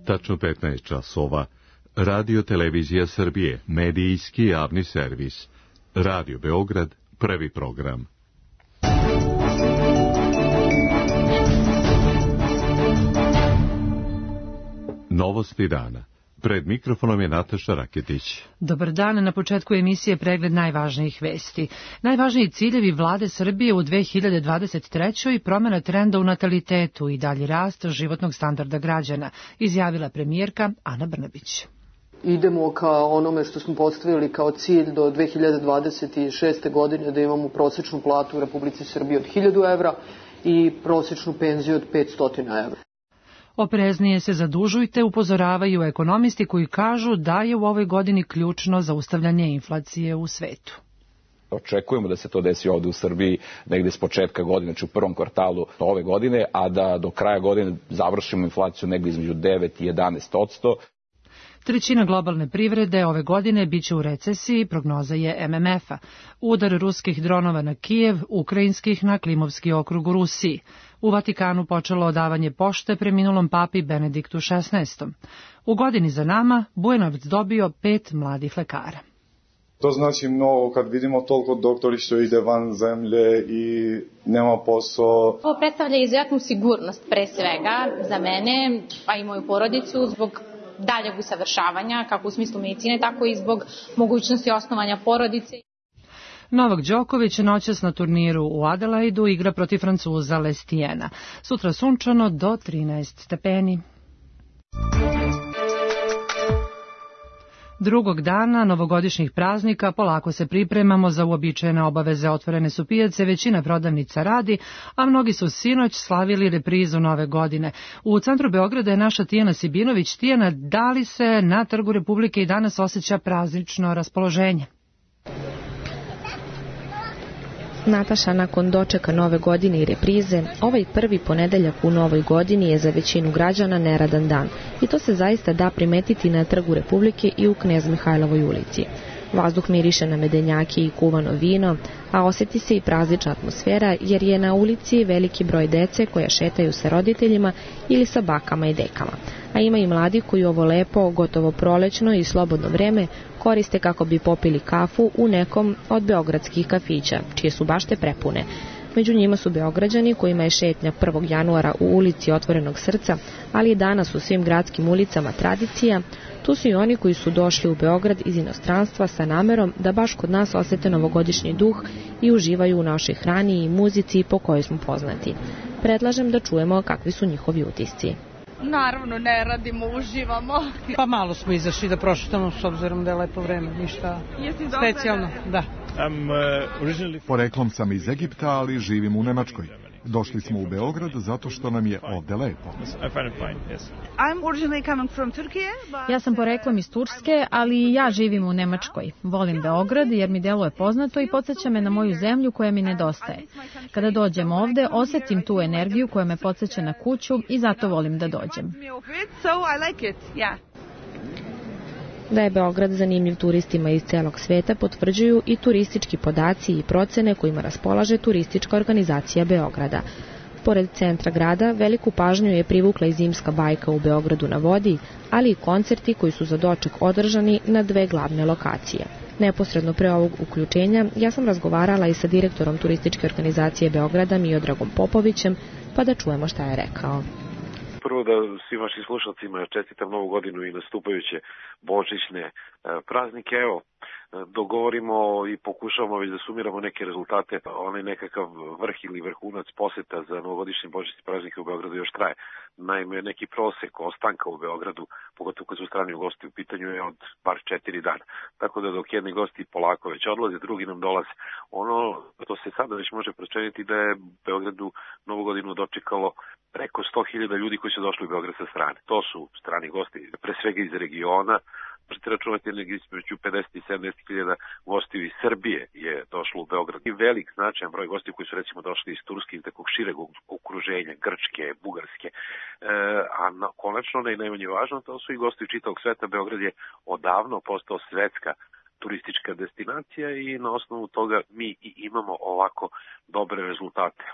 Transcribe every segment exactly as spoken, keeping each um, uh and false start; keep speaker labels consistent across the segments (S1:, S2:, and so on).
S1: Tačno petnaest časova. Radio Televizija Srbije, medijski javni servis. Radio Beograd, prvi program. Novosti dana. Pred mikrofonom je Nataša Raketić.
S2: Dobar dan, na početku emisije pregled najvažnijih vesti. Najvažniji ciljevi vlade Srbije u dve hiljade dvadeset trećoj promjena trenda u natalitetu i dalji rast životnog standarda građana, izjavila premijerka Ana Brnabić.
S3: Idemo ka onome što smo postavili kao cilj do dve hiljade dvadeset šeste. godine, da imamo prosječnu platu u Republici Srbiji od hiljadu evra i prosječnu penziju od petsto evra.
S2: Opreznije se zadužujte, upozoravaju ekonomisti koji kažu da je u ovoj godini ključno zaustavljanje inflacije u svetu.
S4: Očekujemo da se to desi ovde u Srbiji negde s početka godine, znači u prvom kvartalu ove godine, a da do kraja godine završimo inflaciju negde između devet i jedanaest posto.
S2: Trećina globalne privrede ove godine biće u recesiji, prognoza je M M F-a. Udar ruskih dronova na Kijev, ukrajinskih na Klimovski okrug u Rusiji. U Vatikanu počelo odavanje pošte preminulom papi Benediktu šesnaestom. U godini za nama Bujanovac dobio pet mladih lekara.
S5: To znači mnogo kad vidimo toliko doktori što ide van zemlje i nema posao.
S6: Ovo predstavlja izuzetnu sigurnost pre svega za mene, a i moju porodicu, zbog daljeg usavršavanja, kako u smislu medicine, tako i zbog mogućnosti osnovanja porodice.
S2: Novak Đoković noćas na turniru u Adelaidu igra protiv Francuza Lestijena. Sutra sunčano do trinaest stepeni. Drugog dana novogodišnjih praznika polako se pripremamo za uobičajene obaveze. Otvorene su pijace, većina prodavnica radi, a mnogi su sinoć slavili reprizu nove godine. U centru Beograda je naša Tijana Sibinović. Tijana, da li se na Trgu Republike i danas osjeća praznično raspoloženje?
S7: Nataša, nakon dočeka nove godine i reprize, ovaj prvi ponedeljak u novoj godini je za većinu građana neradan dan i to se zaista da primetiti na Trgu Republike i u Knez Mihajlovoj ulici. Vazduh miriše na medenjake i kuvano vino, a osjeti se i praznična atmosfera jer je na ulici veliki broj dece koja šetaju sa roditeljima ili sa bakama i dekama. A ima i mladi koji ovo lepo, gotovo prolećno i slobodno vreme koriste kako bi popili kafu u nekom od beogradskih kafića, čije su bašte prepune. Među njima su Beograđani kojima je šetnja prvog januara u ulici Otvorenog srca, ali i danas u svim gradskim ulicama tradicija. Tu su i oni koji su došli u Beograd iz inostranstva sa namerom da baš kod nas osete novogodišnji duh i uživaju u našoj hrani i muzici po kojoj smo poznati. Predlažem da čujemo kakvi su njihovi utisci.
S8: Naravno, ne radimo, uživamo.
S9: Pa malo smo izašli da prošetamo s obzirom da je lepo vreme, ništa specijalno. Da.
S10: Poreklom sam iz Egipta, ali živim u Nemačkoj. Došli smo u Beograd zato što nam je ovde lepo.
S11: Ja sam poreklom iz Turske, ali ja živim u Nemačkoj. Volim Beograd jer mi deluje poznato i podsjeća me na moju zemlju koja mi nedostaje. Kada dođem ovde, osjetim tu energiju koja me podsjeća na kuću i zato volim da dođem.
S7: Da je Beograd zanimljiv turistima iz celog sveta potvrđuju i turistički podaci i procene kojima raspolaže turistička organizacija Beograda. Pored centra grada, veliku pažnju je privukla i zimska bajka u Beogradu na vodi, ali i koncerti koji su za doček održani na dve glavne lokacije. Neposredno pre ovog uključenja ja sam razgovarala i sa direktorom turističke organizacije Beograda Miodragom Popovićem, pa da čujemo šta je rekao.
S12: Prvo da svim vašim slušalcima čestitam novu godinu i nastupajuće božićne praznike. Evo, dogovorimo i pokušavamo već da sumiramo neke rezultate. Onaj nekakav vrh ili vrhunac poseta za novogodišnje božićne praznike u Beogradu još traje. Naime, neki prosek ostanka u Beogradu, pogotovo kad su strani gosti u pitanju, je od bar četiri dana. Tako da dok jedni gosti polako već odlaze, drugi nam dolaze. Ono to se sada već može proceniti da je Beogradu novu godinu dočekalo preko sto hiljada ljudi koji su došli u Beograd sa strane. To su strani gosti, pre svega iz regiona. Možete računati negdje između pedeset i sedamdeset hiljada gostiju iz Srbije je došlo u Beograd. I velik značajan broj gostiju koji su recimo došli iz Turske i takvog šireg okruženja, Grčke, Bugarske. E, a na, konačno, ne i najmanje važno, to su i gosti čitavog sveta. Beograd je odavno postao svetska turistička destinacija i na osnovu toga mi i imamo ovako dobre rezultate.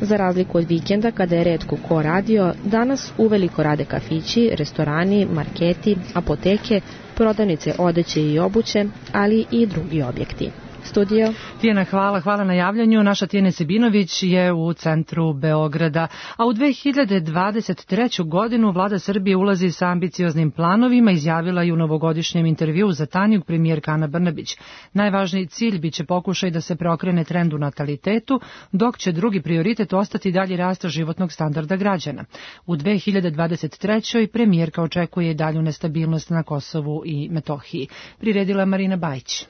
S7: Za razliku od vikenda kada je retko ko radio, danas uveliko rade kafići, restorani, marketi, apoteke, prodavnice odeće i obuće, ali i drugi objekti. Studio.
S2: Tijena, hvala, hvala na javljanju. Naša Tijena Sebinović je u centru Beograda. A u dve hiljade dvadeset treću. godinu vlada Srbije ulazi sa ambicioznim planovima, izjavila je u novogodišnjem intervjuu za Tanjug premijerka Ana Brnabić. Najvažniji cilj biće pokušaj da se preokrene trend u natalitetu, dok će drugi prioritet ostati dalji rast životnog standarda građana. U dve hiljade dvadeset trećoj. premijerka očekuje i dalju nestabilnost na Kosovu i Metohiji. Priredila Marina Bajić.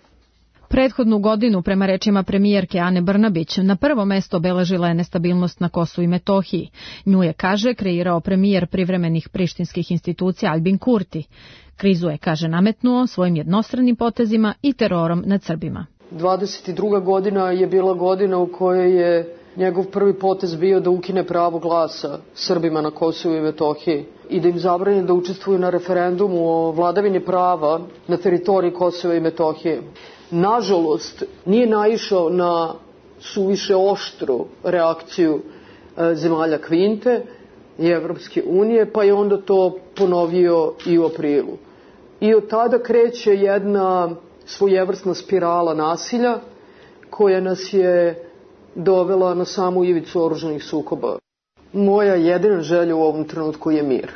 S11: Prethodnu godinu, prema rečima premijerke Ane Brnabić, na prvo mesto obeležila je nestabilnost na Kosovu i Metohiji. Nju je, kaže, kreirao premijer privremenih prištinskih institucija Albin Kurti. Krizu je, kaže, nametnuo svojim jednostranim potezima i terorom nad Srbima.
S3: dvadeset druga. godina je bila godina u kojoj je njegov prvi potez bio da ukine pravo glasa Srbima na Kosovu i Metohiji i da im zabrani da učestvuju na referendumu o vladavini prava na teritoriji Kosova i Metohije. Nažalost, nije naišao na suviše oštru reakciju e, zemalja Kvinte i Evropske unije, pa je onda to ponovio i u aprilu. I od tada kreće jedna svojevrsna spirala nasilja koja nas je dovela na samu ivicu oružanih sukoba. Moja jedina želja u ovom trenutku je mir.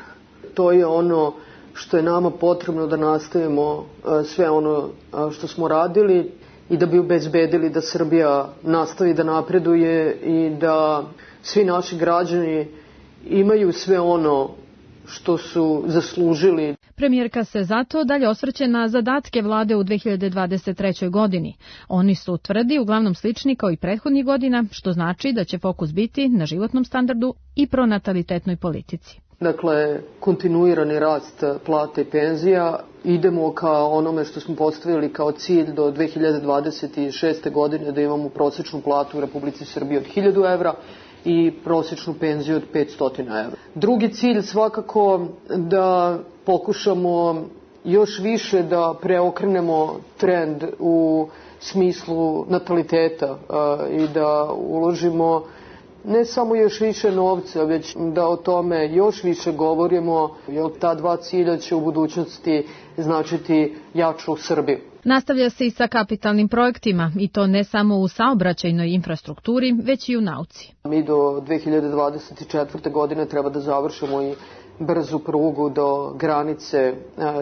S3: To je ono što je nama potrebno da nastavimo sve ono što smo radili i da bi obezbedili da Srbija nastavi da napreduje i da svi naši građani imaju sve ono što su zaslužili.
S11: Premijerka se zato dalje osvrće na zadatke vlade u dve hiljade dvadeset trećoj. godini. Oni su, tvrdi, uglavnom slični kao i prethodnih godina, što znači da će fokus biti na životnom standardu i pronatalitetnoj politici.
S3: Dakle, kontinuirani rast plata i penzija. Idemo ka onome što smo postavili kao cilj do dve hiljade dvadeset šeste. godine da imamo prosječnu platu u Republici Srbiji od hiljadu evra i prosječnu penziju od petsto evra. Drugi cilj svakako da pokušamo još više da preokrenemo trend u smislu nataliteta i da uložimo ne samo još više novca, već da o tome još više govorimo, jer ta dva cilja će u budućnosti značiti jaču Srbiju.
S11: Nastavlja se i sa kapitalnim projektima, i to ne samo u saobraćajnoj infrastrukturi, već i u nauci.
S3: Mi do dve hiljade dvadeset četvrte. godine treba da završimo i brzu prugu do granice e,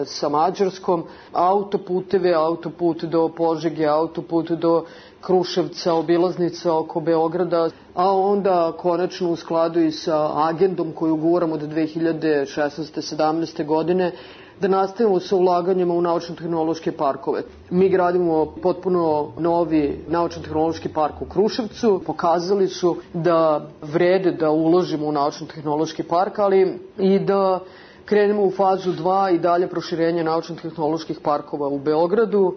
S3: sa Mađarskom, autoputeve, autoput do Požege, autoput do Kruševca, obilaznica oko Beograda, a onda konačno u skladu i sa agendom koju guramo do dve hiljade šesnaeste sedamnaeste. godine, da nastavimo sa ulaganjima u naučno-tehnološke parkove. Mi gradimo potpuno novi naučno-tehnološki park u Kruševcu. Pokazali su da vrede da uložimo u naučno-tehnološki park, ali i da krenemo u fazu dva i dalje proširenje naučno-tehnoloških parkova u Beogradu,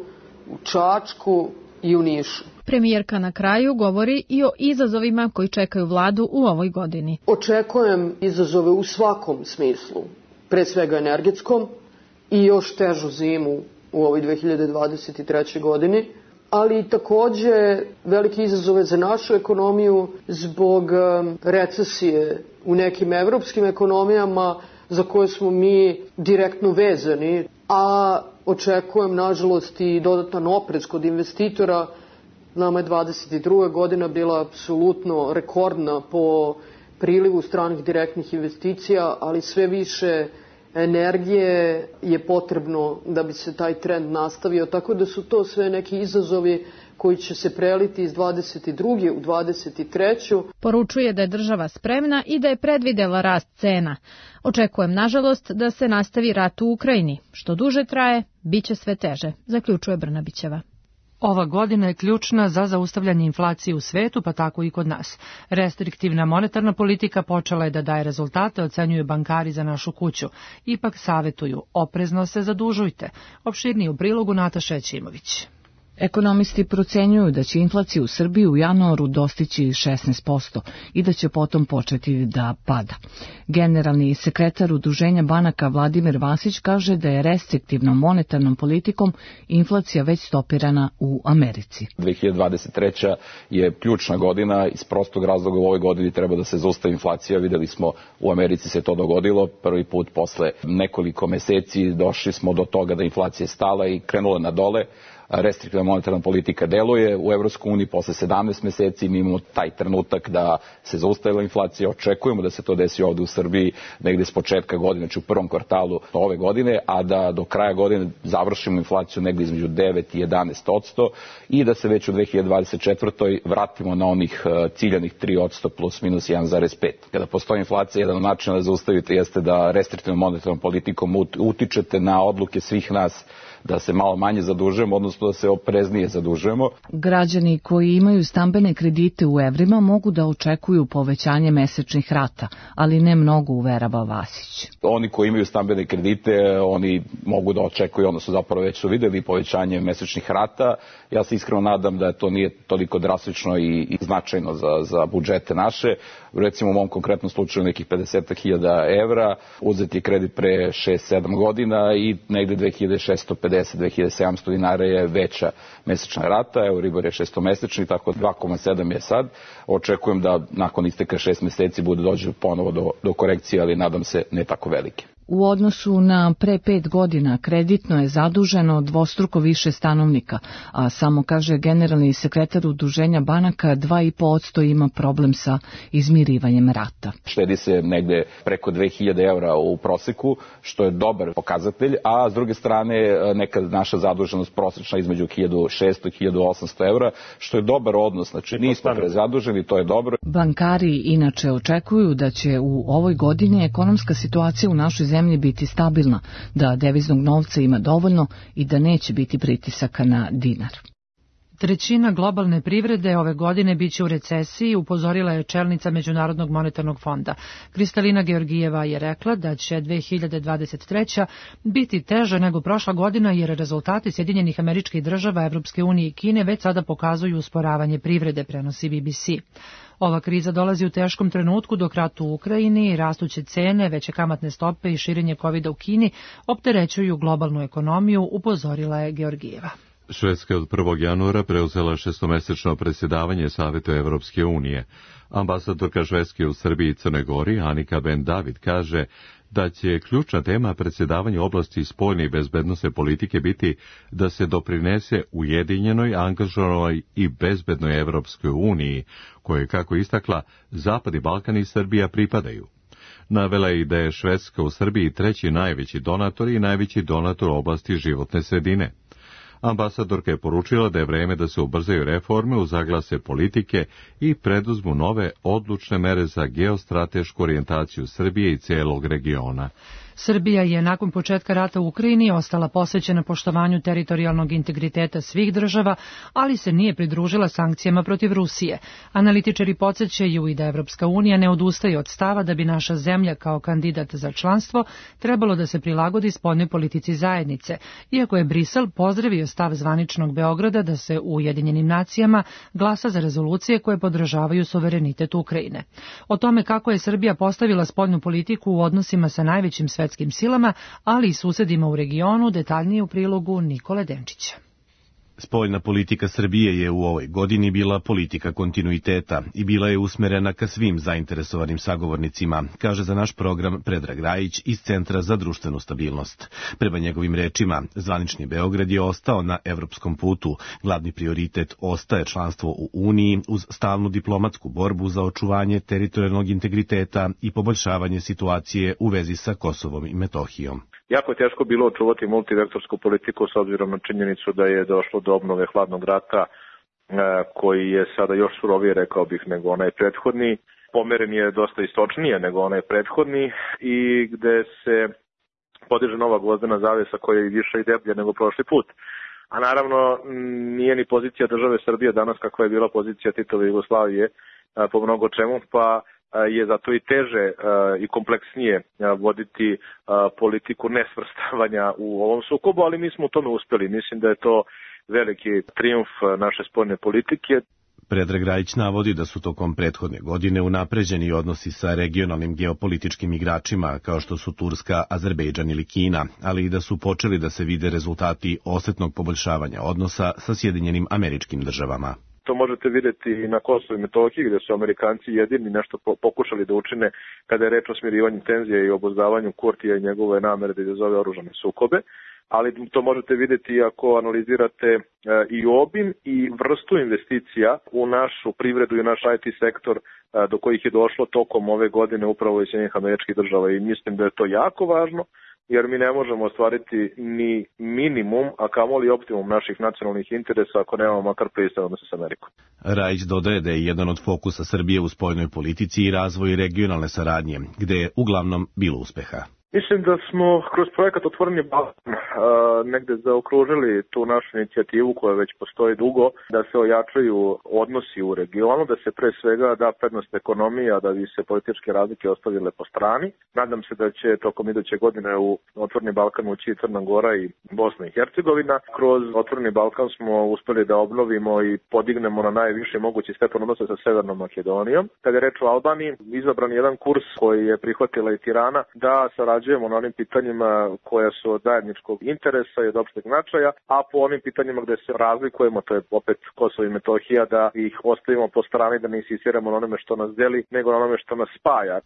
S3: u Čačku i u Nišu.
S11: Premijerka na kraju govori i o izazovima koji čekaju vladu u ovoj godini.
S3: Očekujem izazove u svakom smislu, pre svega energetskom, i još težu zimu u ovoj dve hiljade dvadeset trećoj. godini, ali i takođe velike izazove za našu ekonomiju zbog recesije u nekim evropskim ekonomijama za koje smo mi direktno vezani, a očekujem nažalost i dodatan oprez kod investitora. Nama je dvadeset druga. godina bila apsolutno rekordna po prilivu stranih direktnih investicija, ali sve više energije je potrebno da bi se taj trend nastavio, tako da su to sve neki izazovi koji će se preliti iz dvadeset druge. u dvadeset treću.
S11: Poručuje da je država spremna i da je predvidela rast cena. Očekujem, nažalost, da se nastavi rat u Ukrajini. Što duže traje, bit će sve teže, zaključuje Brnabićeva.
S2: Ova godina je ključna za zaustavljanje inflacije u svetu, pa tako i kod nas. Restriktivna monetarna politika počela je da daje rezultate, ocenjuju bankari za našu kuću. Ipak savetuju, oprezno se zadužujte. Opširnije u prilogu Nataša Ćimović.
S13: Ekonomisti procenjuju da će inflacija u Srbiji u januaru dostići šesnaest posto i da će potom početi da pada. Generalni sekretar Udruženja banaka Vladimir Vasić kaže da je restriktivnom monetarnom politikom inflacija već stopirana u Americi.
S4: dve hiljade dvadeset treća je ključna godina, iz prostog razloga u ovoj godini treba da se zaustavi inflacija. Videli smo u Americi se to dogodilo, prvi put posle nekoliko meseci došli smo do toga da inflacija je stala i krenula na dole. Restriktivna monetarna politika deluje u Evropskoj uniji posle sedamnaest meseci, mi imamo taj trenutak da se zaustavila inflacija, očekujemo da se to desi ovde u Srbiji negde s početka godine, znači u prvom kvartalu ove godine, a da do kraja godine završimo inflaciju negde između devet i jedanaest posto i da se već u dve hiljade dvadeset četvrtoj vratimo na onih ciljanih tri posto plus minus jedan zarez pet. Kada postoji inflacija, jedan od načina da zaustavite jeste da restriktivnom monetarnom politikom utičete na odluke svih nas da se malo manje zadužujemo, odnosno da se opreznije zadužujemo.
S13: Građani koji imaju stambene kredite u evrima mogu da očekuju povećanje mesečnih rata, ali ne mnogo, uverava Vasić.
S4: Oni koji imaju stambene kredite, oni mogu da očekuju, odnosno zapravo već su videli povećanje mesečnih rata. Ja se iskreno nadam da to nije toliko drastično i, i značajno za, za budžete naše. Recimo u mom konkretnom slučaju nekih pedeset hiljada evra, uzeti kredit pre šest sedam godina i negde dve hiljade šessto pedeset do dve hiljade sedamsto dinara je veća mesečna rata, Euribor je šestomesečni, tako dva zarez sedam je sad. Očekujem da nakon isteka šest meseci bude dođe ponovo do, do korekcije, ali nadam se ne tako velike.
S13: U odnosu na pre pet godina kreditno je zaduženo dvostruko više stanovnika, a samo, kaže generalni sekretar Udruženja banaka, dva i po posto ima problem sa izmirivanjem rata.
S4: Štedi se negde preko dve hiljade evra u proseku, što je dobar pokazatelj, a s druge strane neka naša zaduženost prosečna između hiljadu šesto i hiljadu osamsto evra, što je dobar odnos, znači nismo prezaduženi, to je dobro.
S13: Bankari inače očekuju da će u ovoj godini ekonomska situacija u našoj zemlji biti stabilna, da deviznog novca ima dovoljno i da neće biti pritisaka na dinar.
S2: Trećina globalne privrede ove godine biće u recesiji, upozorila je čelnica Međunarodnog monetarnog fonda. Kristalina Georgijeva je rekla da će dve hiljade dvadeset treća biti teža nego prošla godina, jer rezultati Sjedinjenih Američkih Država, Evropske unije i Kine već sada pokazuju usporavanje privrede, prenosi B B C. Ova kriza dolazi u teškom trenutku dok rat u Ukrajini, rastuće cene, veće kamatne stope i širenje kovida u Kini opterećuju globalnu ekonomiju, upozorila je Georgijeva.
S1: Švedska je od prvog januara preuzela šestomesečno predsjedavanje Savetu Evropske unije. Ambasadorka Švedske u Srbiji i Crnoj Gori, Anika Ben David, kaže da će ključna tema predsjedavanja u oblasti spoljne i bezbednosne politike biti da se doprinese ujedinjenoj, angažovanoj i bezbednoj Evropskoj uniji, koje, kako istakla, Zapadni Balkan i Srbija pripadaju. Navela je i da je Švedska u Srbiji treći najveći donator i najveći donator u oblasti životne sredine. Ambasadorka je poručila da je vreme da se ubrzaju reforme, uzaglase politike i preduzmu nove odlučne mere za geostratešku orijentaciju Srbije i celog regiona.
S2: Srbija je nakon početka rata u Ukrajini ostala posvećena poštovanju teritorijalnog integriteta svih država, ali se nije pridružila sankcijama protiv Rusije. Analitičari podsjećaju i da Evropska unija ne odustaje od stava da bi naša zemlja kao kandidat za članstvo trebalo da se prilagodi spoljnoj politici zajednice, iako je Brisel pozdravio stav zvaničnog Beograda da se u Ujedinjenim nacijama glasa za rezolucije koje podržavaju suverenitet Ukrajine. O tome kako je Srbija postavila spoljnu politiku u odnosima sa najvećim svetskim silama, ali i susedima u regionu, detaljnije u prilogu Nikole Denčića.
S14: Spoljna politika Srbije je u ovoj godini bila politika kontinuiteta i bila je usmerena ka svim zainteresovanim sagovornicima, kaže za naš program Predrag Rajić iz Centra za društvenu stabilnost. Prema njegovim rečima, zvanični Beograd je ostao na evropskom putu. Glavni prioritet ostaje članstvo u Uniji uz stalnu diplomatsku borbu za očuvanje teritorijalnog integriteta i poboljšavanje situacije u vezi sa Kosovom i Metohijom.
S15: Jako je teško bilo očuvati multivektorsku politiku s obzirom na činjenicu da je došlo do obnove hladnog rata koji je sada još surovije, rekao bih, nego onaj prethodni. Pomeren je dosta istočnije nego onaj prethodni i gde se podiže nova gvozdena zavesa koja je više i deblja nego prošli put. A naravno nije ni pozicija države Srbije danas kakva je bila pozicija Titove Jugoslavije po mnogo čemu, pa je zato i teže i kompleksnije voditi politiku nesvrstavanja u ovom sukobu, ali mi smo u tome uspeli. Mislim da je to veliki trijumf naše spoljne politike.
S14: Predrag Rajić navodi da su tokom prethodne godine unapređeni odnosi sa regionalnim geopolitičkim igračima kao što su Turska, Azerbejdžan ili Kina, ali i da su počeli da se vide rezultati osetnog poboljšavanja odnosa sa Sjedinjenim Američkim Državama.
S15: To možete vidjeti i na Kosovu i Metohiji, gdje su Amerikanci jedini nešto pokušali da učine kada je reč o smirivanju tenzije i obuzdavanju Kurtija i njegove namere da izazove oružane sukobe. Ali to možete vidjeti ako analizirate i obim i vrstu investicija u našu privredu i naš I T sektor do kojih je došlo tokom ove godine upravo iz Sjedinjenih Američkih Država i mislim da je to jako važno jer mi ne možemo ostvariti ni minimum, a kamoli optimum naših nacionalnih interesa ako nemamo makar pristojan odnos s Amerikom.
S14: Rajić dodaje da je jedan od fokusa Srbije u spoljnoj politici i razvoj regionalne saradnje, gde je uglavnom bilo uspeha.
S15: Mislim da smo kroz projekat Otvoreni Balkan negde zaokružili tu našu inicijativu koja već postoji dugo, da se ojačaju odnosi u regionu, da se pre svega da prednost ekonomija, da bi se političke razlike ostavile po strani. Nadam se da će tokom iduće godine u Otvoreni Balkan ući i Crna Gora i Bosna i Hercegovina. Kroz Otvoreni Balkan smo uspeli da obnovimo i podignemo na najviši mogući stepen odnosa sa Severnom Makedonijom. Kada je reč o Albaniji, izabran je jedan kurs koji je prihvatila i Tirana da sarađujemo na onim pitanjima koja su od zajedničkog interesa i od opšteg značaja, a po onim pitanjima gde se razlikujemo, to je opet Kosovo i Metohija, da ih ostavimo po strani, da ne insistiramo na onome što nas deli, nego na onome što nas spaja.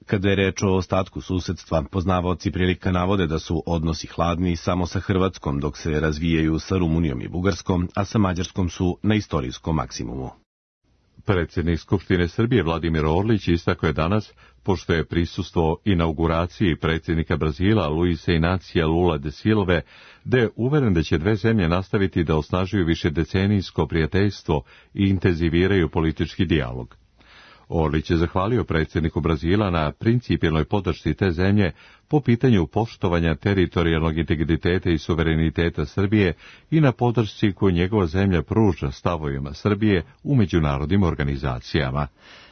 S14: Kada je reč o ostatku susedstva, poznavaoci prilika navode da su odnosi hladni samo sa Hrvatskom, dok se razvijaju sa Rumunijom i Bugarskom, a sa Mađarskom su na istorijskom maksimumu.
S1: Predsjednik Skupštine Srbije Vladimir Orlić istakao je danas, pošto je prisustvo inauguraciji predsjednika Brazila Luisa Inacija Lula de Silve, da je uveren da će dve zemlje nastaviti da osnažuju višedecenijsko prijateljstvo i intenziviraju politički dijalog. Orlić je zahvalio predsjedniku Brazila na principijelnoj podršci te zemlje po pitanju poštovanja teritorijalnog integriteta i suvereniteta Srbije i na podršci koju njegova zemlja pruža stavovima Srbije u međunarodnim organizacijama.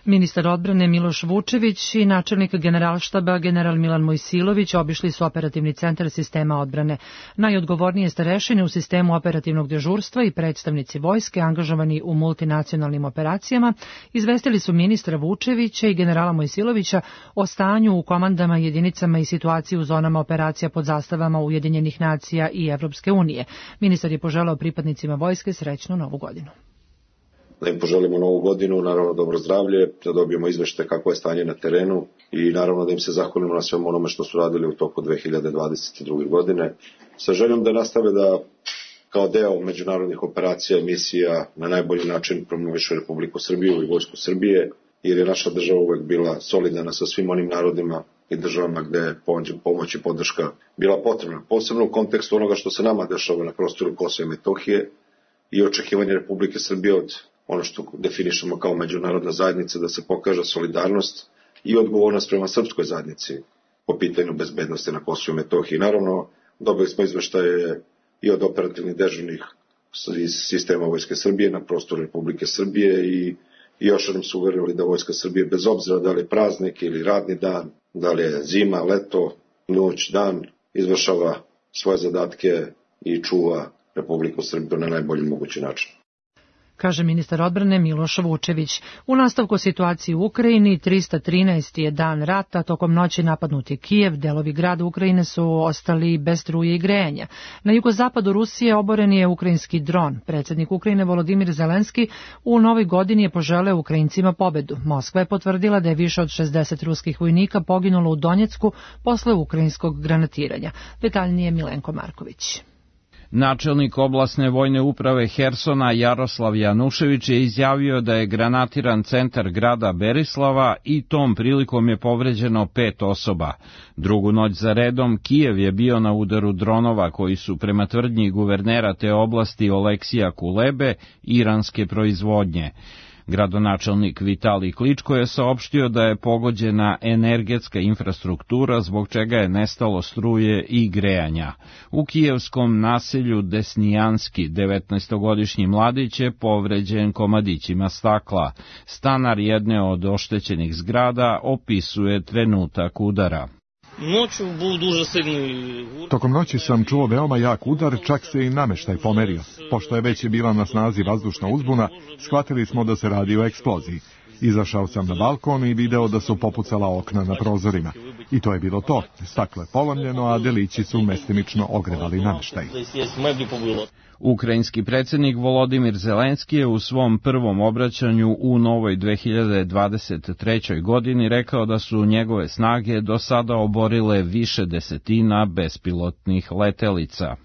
S2: Ministar odbrane Miloš Vučević i načelnik generalštaba general Milan Mojsilović obišli su operativni centar sistema odbrane. Najodgovornije starešine u sistemu operativnog dežurstva i predstavnici vojske angažovani u multinacionalnim operacijama izvestili su ministra Vučevića i generala Mojsilovića o stanju u komandama, jedinicama i situaciji u zonama operacija pod zastavama Ujedinjenih nacija i Evropske unije. Ministar je poželao pripadnicima vojske srećnu novu godinu.
S16: Da im poželimo novu godinu, naravno dobro zdravlje, da dobijemo izveštaj kako je stanje na terenu i naravno da im se zahvalimo na svemu onome što su radili u toku dve hiljade dvadeset druge. godine. Sa željom da nastave da kao deo međunarodnih operacija i misija na najbolji način promovišu Republiku Srbiju i Vojsku Srbije, jer je naša država uvek bila solidana sa svim onim narodima i državama gde je pomoć i podrška bila potrebna. Posebno u kontekstu onoga što se nama dešava na prostoru Kosova i Metohije i očekivanje Republike Srbije od ono što definišemo kao međunarodna zajednica, da se pokaže solidarnost i odgovornost prema srpskoj zajednici po pitanju bezbednosti na Kosovu i Metohiji. Naravno, dobili smo izveštaje i od operativnih dežurnih iz sistema Vojske Srbije na prostoru Republike Srbije i, i još jednom su uverili da Vojska Srbije, bez obzira da li je praznik ili radni dan, da li je zima, leto, noć, dan, izvršava svoje zadatke i čuva Republiku Srbiju na najbolji mogući način,
S2: kaže ministar odbrane Miloš Vučević. U nastavku situacije u Ukrajini, trista trinaesti je dan rata, tokom noći napadnut je Kijev, delovi grada Ukrajine su ostali bez struje i grejanja. Na jugozapadu Rusije oboren je ukrajinski dron. Predsjednik Ukrajine Volodimir Zelenski u novoj godini je poželeo Ukrajincima pobedu. Moskva je potvrdila da je više od šezdeset ruskih vojnika poginulo u Donjecku posle ukrajinskog granatiranja. Detaljnije Milenko Marković.
S17: Načelnik oblasne vojne uprave Hersona Jaroslav Janušević je izjavio da je granatiran centar grada Berislava i tom prilikom je povređeno pet osoba. Drugu noć za redom Kijev je bio na udaru dronova koji su prema tvrdnji guvernera te oblasti Oleksija Kulebe iranske proizvodnje. Gradonačelnik Vitalij Kličko je saopštio da je pogođena energetska infrastruktura zbog čega je nestalo struje i grejanja. U kijevskom naselju Desnijanski devetnaestogodišnji mladić je povređen komadićima stakla. Stanar jedne od oštećenih zgrada opisuje trenutak udara.
S10: Tokom noći sam čuo veoma jak udar, čak se i nameštaj pomerio. Pošto je već bila na snazi vazdušna uzbuna, shvatili smo da se radi o eksploziji. Izašao sam na balkon i video da su popucala okna na prozorima. I to je bilo to. Staklo je polomljeno, a delići su mestimično ogrevali nameštaj.
S17: Ukrajinski predsjednik Volodimir Zelenski je u svom prvom obraćanju u novoj dve hiljade dvadeset trećoj. godini rekao da su njegove snage do sada oborile više desetina bespilotnih letelica.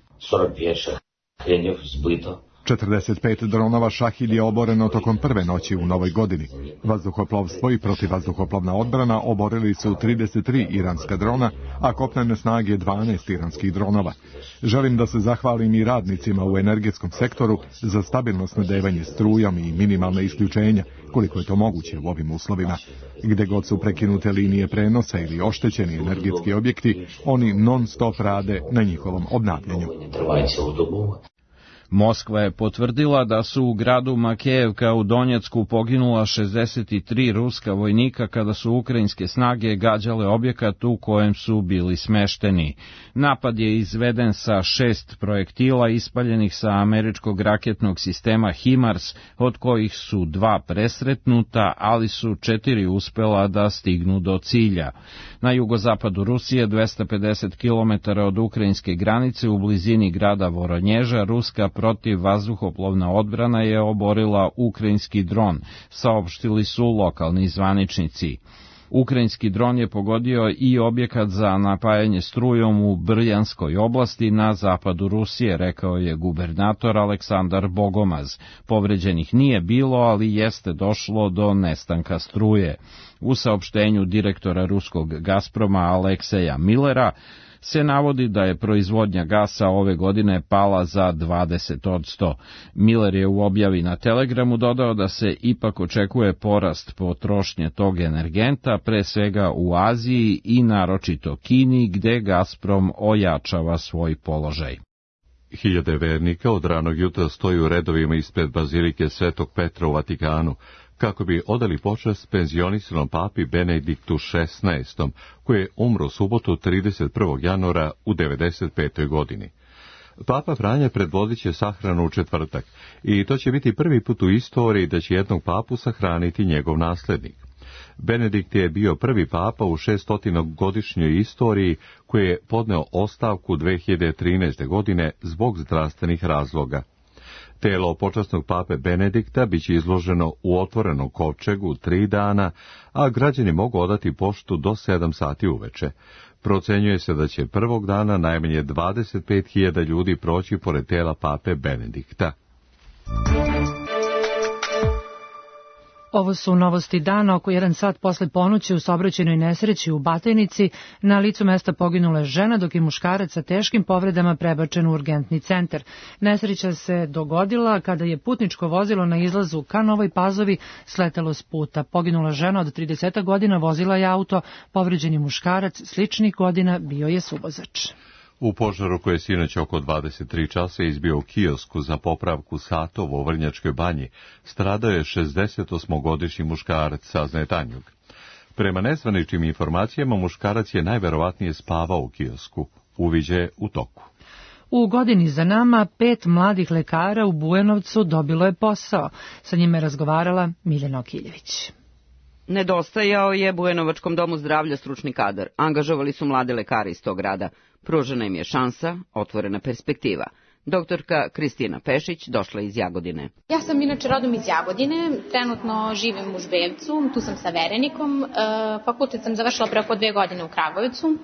S10: četrdeset pet dronova Šahid je oboreno tokom prve noći u novoj godini. Vazduhoplovstvo i protivvazduhoplovna odbrana oborili su trideset tri iranska drona, a kopnene snage dvanaest iranskih dronova. Želim da se zahvalim i radnicima u energetskom sektoru za stabilno snabdevanje strujom i minimalne isključenja, koliko je to moguće u ovim uslovima. Gde god su prekinute linije prenosa ili oštećeni energetski objekti, oni non stop rade na njihovom obnavljanju.
S17: Moskva je potvrdila da su u gradu Makejevka u Donjecku poginula šezdeset tri ruska vojnika kada su ukrajinske snage gađale objekat u kojem su bili smešteni. Napad je izveden sa šest projektila ispaljenih sa američkog raketnog sistema HIMARS, od kojih su dva presretnuta, ali su četiri uspela da stignu do cilja. Na jugozapadu Rusije, dvesta pedeset kilometara od ukrajinske granice u blizini grada Voronježa, ruska protiv vazduhoplovna odbrana je oborila ukrajinski dron, saopštili su lokalni zvaničnici. Ukrajinski dron je pogodio i objekat za napajanje strujom u Brjanskoj oblasti na zapadu Rusije, rekao je gubernator Aleksandar Bogomaz. Povređenih nije bilo, ali jeste došlo do nestanka struje. U saopštenju direktora ruskog Gazproma Alekseja Millera se navodi da je proizvodnja gasa ove godine pala za dvadeset posto. Miller je u objavi na Telegramu dodao da se ipak očekuje porast potrošnje tog energenta, pre svega u Aziji i naročito Kini, gde Gazprom ojačava svoj položaj.
S1: Hiljade vernika od ranog jutra stoji u redovima ispred bazilike Svetog Petra u Vatikanu, kako bi odali počast penzionisanom papi Benediktu šesnaestom, koji je umro subotu trideset prvog januara u devedeset petoj godini. Papa Franja predvodit će sahranu u četvrtak i to će biti prvi put u istoriji da će jednog papu sahraniti njegov naslednik. Benedikt je bio prvi papa u šeststotinogodišnjoj istoriji koji je podneo ostavku dve hiljade trinaeste. godine zbog zdravstvenih razloga. Telo počasnog pape Benedikta biće izloženo u otvorenom kovčegu tri dana, a građani mogu odati poštu do sedam sati uveče. Procenjuje se da će prvog dana najmanje dvadeset pet hiljada ljudi proći pored tela pape Benedikta.
S2: Ovo su novosti dana. Oko jedan sat posle ponoći u saobraćajnoj nesreći u Batajnici na licu mesta poginula je žena, dok je muškarac sa teškim povredama prebačen u urgentni centar. Nesreća se dogodila kada je putničko vozilo na izlazu ka Novoj Pazovi sletelo s puta. Poginula žena od trideset godina vozila je auto, povređeni muškarac sličnih godina bio je suvozač.
S1: U požaru koji je sinoć oko dvadeset tri časa izbio u kiosku za popravku satova u Vrnjačkoj banji, stradao je šezdesetosmogodišnji muškarac, saznaje Tanjug. Prema nezvaničnim informacijama, muškarac je najverovatnije spavao u kiosku. Uviđaj je u toku.
S2: U godini za nama pet mladih lekara u Bujanovcu dobilo je posao. Sa njime je razgovarala Miljana Okiljević.
S18: Nedostajao je Bujanovačkom domu zdravlja stručni kadar. Angažovali su mlade lekare iz tog grada. Pružena im je šansa, otvorena perspektiva. Doktorka Kristina Pešić došla iz Jagodine.
S6: Ja sam inače rodom iz Jagodine, trenutno živim u Žbevcu, tu sam sa verenikom, fakultet sam završila preko dve godine u Kragujevcu.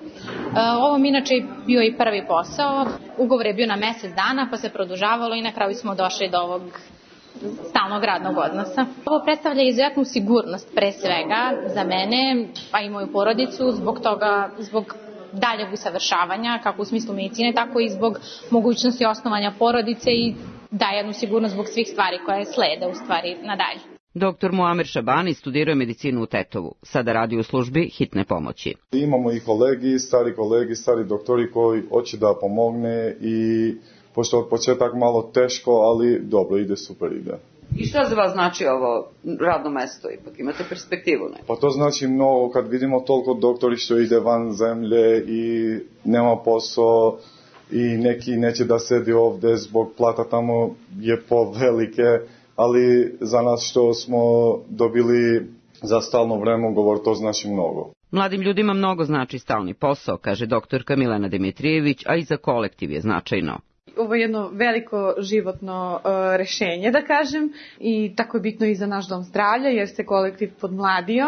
S6: Ovo mi inače bio i prvi posao, ugovor je bio na mesec dana pa se produžavalo i na kraju smo došli do ovog stalnog radnog odnosa. Ovo predstavlja izuzetnu sigurnost pre svega za mene, pa i moju porodicu, zbog toga, zbog daljeg usavršavanja, kako u smislu medicine, tako i zbog mogućnosti osnovanja porodice i daje jednu sigurnost zbog svih stvari koje slede u stvari nadalje.
S18: Doktor Muamer Šabani studirao medicinu u Tetovu, sada radi u službi hitne pomoći.
S5: Imamo i kolegi, stari kolegi, stari doktori koji hoće da pomogne i pošto od početak malo teško, ali dobro ide, super ide.
S18: I šta za vas znači ovo radno mesto? Ipak imate perspektivu, ne?
S5: Pa to znači mnogo kad vidimo toliko doktori što ide van zemlje i nema posao i neki neće da sedi ovde zbog plata tamo je povelike, ali za nas što smo dobili za stalno vreme govor, to znači mnogo.
S18: Mladim ljudima mnogo znači stalni posao, kaže doktorka Milena Dimitrijević, a i za kolektiv je značajno.
S19: Ovo je jedno veliko životno uh, rešenje, da kažem, i tako je bitno i za naš dom zdravlja, jer se kolektiv podmladio,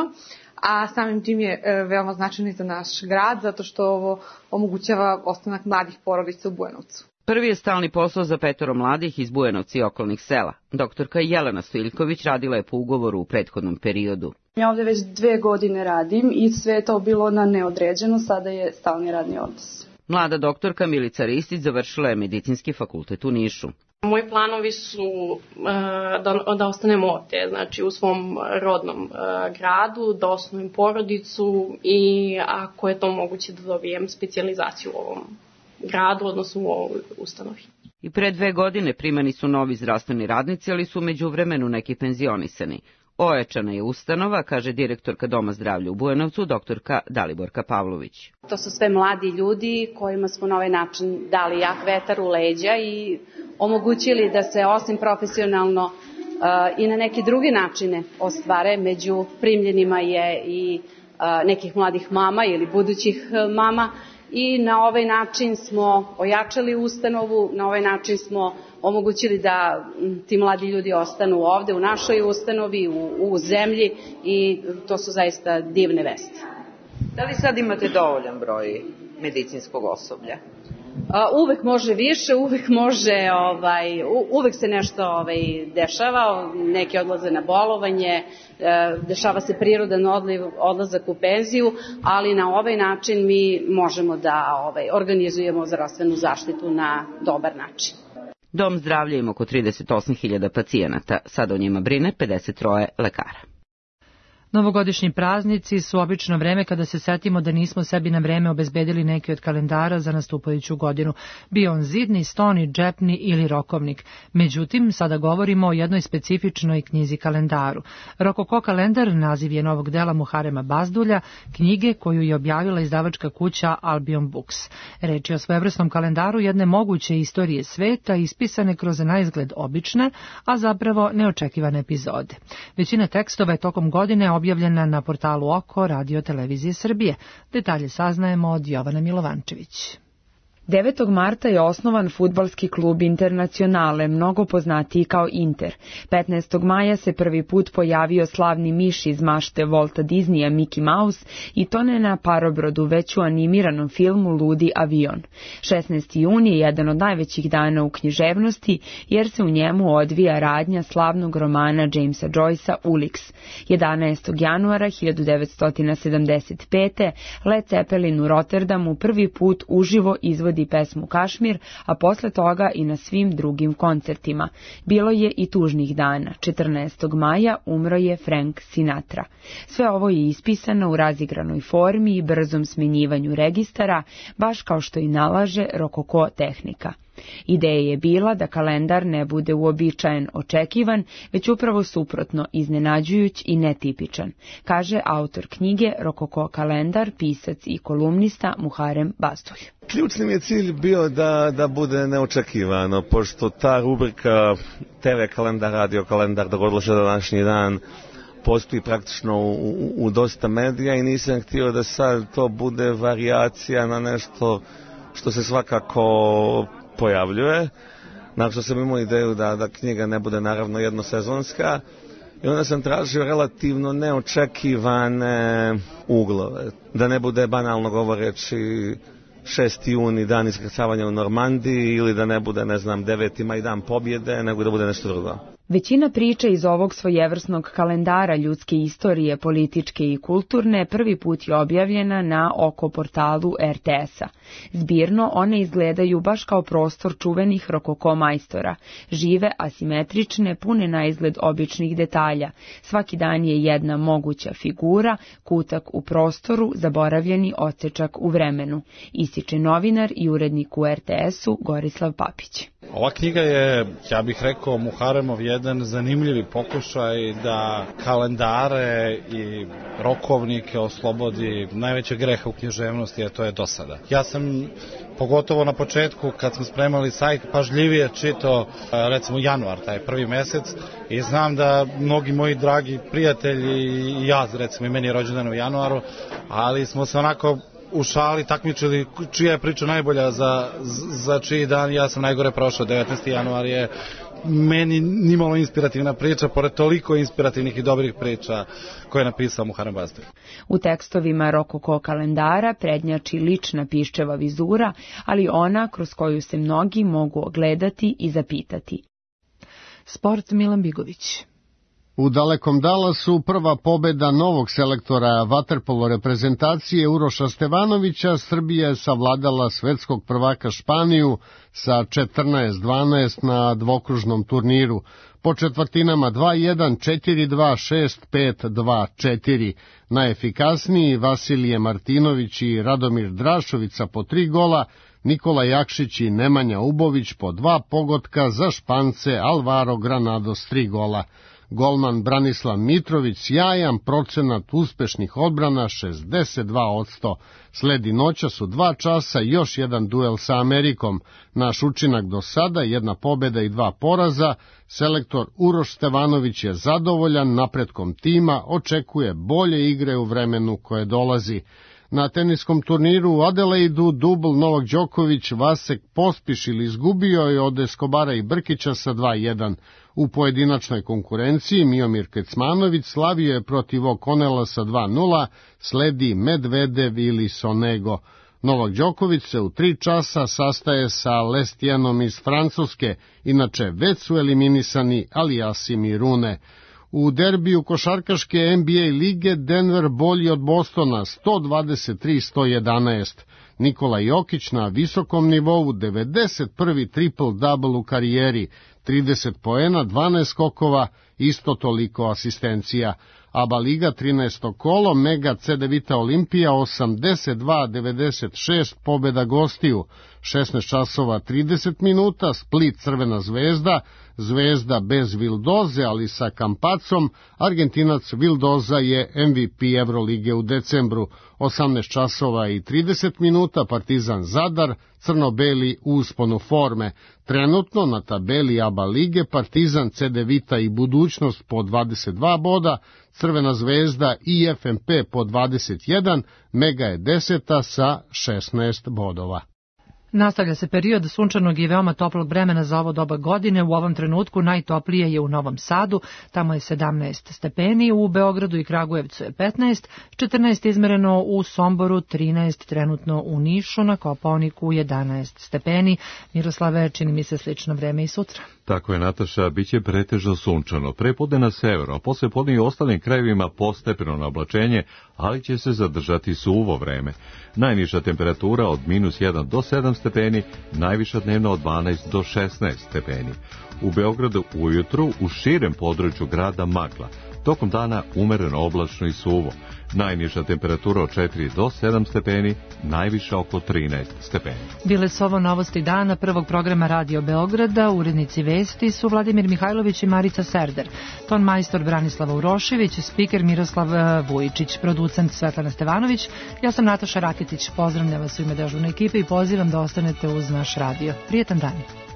S19: a samim tim je uh, veoma značajno i za naš grad, zato što ovo omogućava ostanak mladih porodica u Bujanovcu.
S18: Prvi je stalni posao za petoro mladih iz Bujanovca i okolnih sela. Doktorka Jelena Stojiljković radila je po ugovoru u prethodnom periodu.
S20: Ja ovdje već dve godine radim i sve je to bilo na neodređeno, sada je stalni radni odnos.
S18: Mlada doktorka Milica Ristić završila je medicinski fakultet u Nišu.
S21: Moji planovi su uh, da, da ostanem ovdje, znači u svom rodnom uh, gradu, da osnovim porodicu i ako je to moguće da dobijem specijalizaciju u ovom gradu, odnosno u ovoj ustanovi.
S18: I pre dve godine primani su novi zdravstveni radnici, ali su međuvremenu neki penzionisani. Ojačana je ustanova, kaže direktorka Doma zdravlja u Bujanovcu, doktorka Daliborka Pavlović.
S22: To su sve mladi ljudi kojima smo na ovaj način dali jak vetar u leđa i omogućili da se osim profesionalno uh, i na neki drugi načine ostvare. Među primljenima je i uh, nekih mladih mama ili budućih uh, mama i na ovaj način smo ojačali ustanovu, na ovaj način smo omogućili da ti mladi ljudi ostanu ovde u našoj ustanovi, u, u zemlji i to su zaista divne vesti.
S18: Da li sad imate dovoljan broj medicinskog osoblja?
S22: Uvek može više, uvek može, ovaj, uvek se nešto ovaj, dešava, neki odlaze na bolovanje, dešava se prirodan odliv, odlazak u penziju, ali na ovaj način mi možemo da ovaj, organizujemo zdravstvenu zaštitu na dobar način.
S18: Dom zdravlja ima oko trideset osam hiljada pacijenata, sad o njima brine pedeset tri lekara.
S2: Novogodišnji praznici su obično vreme kada se setimo da nismo sebi na vreme obezbedili neki od kalendara za nastupajuću godinu, bio on zidni, stoni, džepni ili rokovnik. Međutim, sada govorimo o jednoj specifičnoj knjizi kalendaru. Rokoko kalendar naziv je novog dela Muharema Bazdulja, knjige koju je objavila izdavačka kuća Albion Books. Reč je o svojevrsnom kalendaru jedne moguće istorije sveta, ispisane kroz naizgled obične, a zapravo neočekivane epizode. Većina tekstova je tokom godine objavljena na portalu Oko Radio Televizije Srbije. Detalje saznajemo od Jovana Milovančević.
S23: devetog marta je osnovan fudbalski klub Internacionale, mnogo poznatiji kao Inter. petnaestog maja se prvi put pojavio slavni miš iz mašte Walta Disneya Mickey Mouse i to ne na parobrodu, već u animiranom filmu Ludi avion. šesnaesti juni je jedan od najvećih dana u književnosti, jer se u njemu odvija radnja slavnog romana Jamesa Joycea Ulix. jedanaestog januara hiljadu devetsto sedamdeset pete. Led Zeppelin u Rotterdamu prvi put uživo izvodi pesmu Kašmir, a posle toga i na svim drugim koncertima. Bilo je i tužnih dana. četrnaestog maja umro je Frank Sinatra. Sve ovo je ispisano u razigranoj formi i brzom smenjivanju registara, baš kao što i nalaže rokoko tehnika. Ideja je bila da kalendar ne bude uobičajen, očekivan, već upravo suprotno, iznenađujuć i netipičan, kaže autor knjige Rokoko kalendar, pisac i kolumnista Muharem Bazdulj.
S24: Ključni mi je cilj bio da, da bude neočekivano, pošto ta rubrika te ve kalendar, radio kalendar, dogodilo se današnji dan, postoji praktično u, u, u dosta medija i nisam htio da sad to bude varijacija na nešto što se svakako pojavljuje. Nakon što sam imao ideju da, da knjiga ne bude naravno jednosezonska i onda sam tražio relativno neočekivane uglove. Da ne bude banalno govoreći šesti juni dan iskrcavanja u Normandiji ili da ne bude, ne znam, deveti maj dan pobjede, nego da bude nešto drugo.
S23: Većina priča iz ovog svojevrsnog kalendara ljudske istorije, političke i kulturne, prvi put je objavljena na Oko portalu er te es a. Zbirno one izgledaju baš kao prostor čuvenih rokoko majstora, žive, asimetrične, pune na izgled običnih detalja. Svaki dan je jedna moguća figura, kutak u prostoru, zaboravljeni odsečak u vremenu, ističe novinar i urednik u er te es u Gorislav Papić.
S7: Ova knjiga je, ja bih rekao, Muharemov jedan zanimljivi pokušaj da kalendare i rokovnike oslobodi najvećeg greha u književnosti, a to je dosada. Ja sam, pogotovo na početku, kad smo spremali sajt, pažljivije čitao, recimo, januar, taj prvi mesec, i znam da mnogi moji dragi prijatelji i ja, recimo, i meni je rođendan u januaru, ali smo se onako u šali takmičili čija je priča najbolja za, za čiji dan. Ja sam najgore prošao. devetnaesti januar je meni nimalo inspirativna priča, pored toliko inspirativnih i dobrih priča koje je napisao Muharrem Bastav.
S23: U tekstovima rokoko kalendara prednjači lična piščeva vizura, ali ona kroz koju se mnogi mogu ogledati i zapitati.
S2: Sport, Milan Bigović.
S8: U dalekom Dallasu prva pobeda novog selektora vaterpolo reprezentacije Uroša Stevanovića, Srbija je savladala svetskog prvaka Španiju sa četrnaest dvanaest na dvokružnom turniru. Po četvrtinama dva jedan, četiri dva, šest pet, dva četiri. Najefikasniji Vasilije Martinović i Radomir Drašovica po tri gola, Nikola Jakšić i Nemanja Ubović po dva pogotka, za Špance Alvaro Granados tri gola. Golman Branislav Mitrović sjajan, procenat uspešnih odbrana šezdeset dva posto. Sledi noćas u dva časa još jedan duel sa Amerikom. Naš učinak do sada, jedna pobeda i dva poraza. Selektor Uroš Stevanović je zadovoljan napretkom tima, očekuje bolje igre u vremenu koje dolazi. Na teniskom turniru u Adelaidu dubl Novak Đoković Vasek Pospišil izgubio je od Eskobara i Brkića sa dva jedan. U pojedinačnoj konkurenciji Miomir Kecmanović slavio je protiv O'Connella sa dva nula, sledi Medvedev ili Sonego. Novak Đoković se u tri časa sastaje sa Lestianom iz Francuske, inače već su eliminisani Aliasim i Rune. U derbiju košarkaške N B A lige Denver bolji od Bostona sto dvadeset tri sto jedanaest. Nikola Jokić na visokom nivou, devedeset prvi triple-double u karijeri, trideset poena, dvanaest skokova, isto toliko asistencija. ABA Liga trinaesto kolo, Mega Cedevita Olimpija osamdeset dva devedeset šest, pobeda gostiju, šesnaest časova trideset minuta, Split Crvena zvezda, Zvezda bez Vildoze, ali sa Kampacom, Argentinac Vildoza je M V P Evrolige u decembru, osamnaest časova i trideset minuta, Partizan Zadar, crno-beli u usponu forme. Trenutno na tabeli ABA Lige Partizan, Cedevita i Budućnost po dvadeset dva boda, Crvena zvezda i F M P po dvadeset jedan, Mega je deseta sa šesnaest bodova.
S2: Nastavlja se period sunčanog i veoma toplog vremena za ovo doba godine. U ovom trenutku najtoplije je u Novom Sadu, tamo je sedamnaest stepeni, u Beogradu i Kragujevcu je petnaest, četrnaest izmereno u Somboru, trinaest trenutno u Nišu, na Kopaoniku jedanaest stepeni. Miroslave, čini mi se slično vreme i sutra.
S1: Tako je, Nataša, bit će pretežno sunčano. Prepodne na severu, a posle podne i u ostalim krajevima postepeno na oblačenje, ali će se zadržati suvo vreme. Najniža temperatura od minus jedan do sedam stepeni, najviša dnevno od dvanaest do šesnaest stepeni. U Beogradu ujutru u širem području grada magla, tokom dana umereno oblačno i suvo. Najniža temperatura od četiri do sedam stepeni, najviša oko trinaest stepeni.
S2: Bile su ovo novosti dana prvog programa Radio Beograda. Urednici vesti su Vladimir Mihajlović i Marica Serder. Ton majstor Branislava Urošević, spiker Miroslav Vujičić, producent Svetlana Stevanović. Ja sam Nataša Raketić. Pozdravljam vas u ime dežurne ekipe i pozivam da ostanete uz naš radio. Prijetan dan.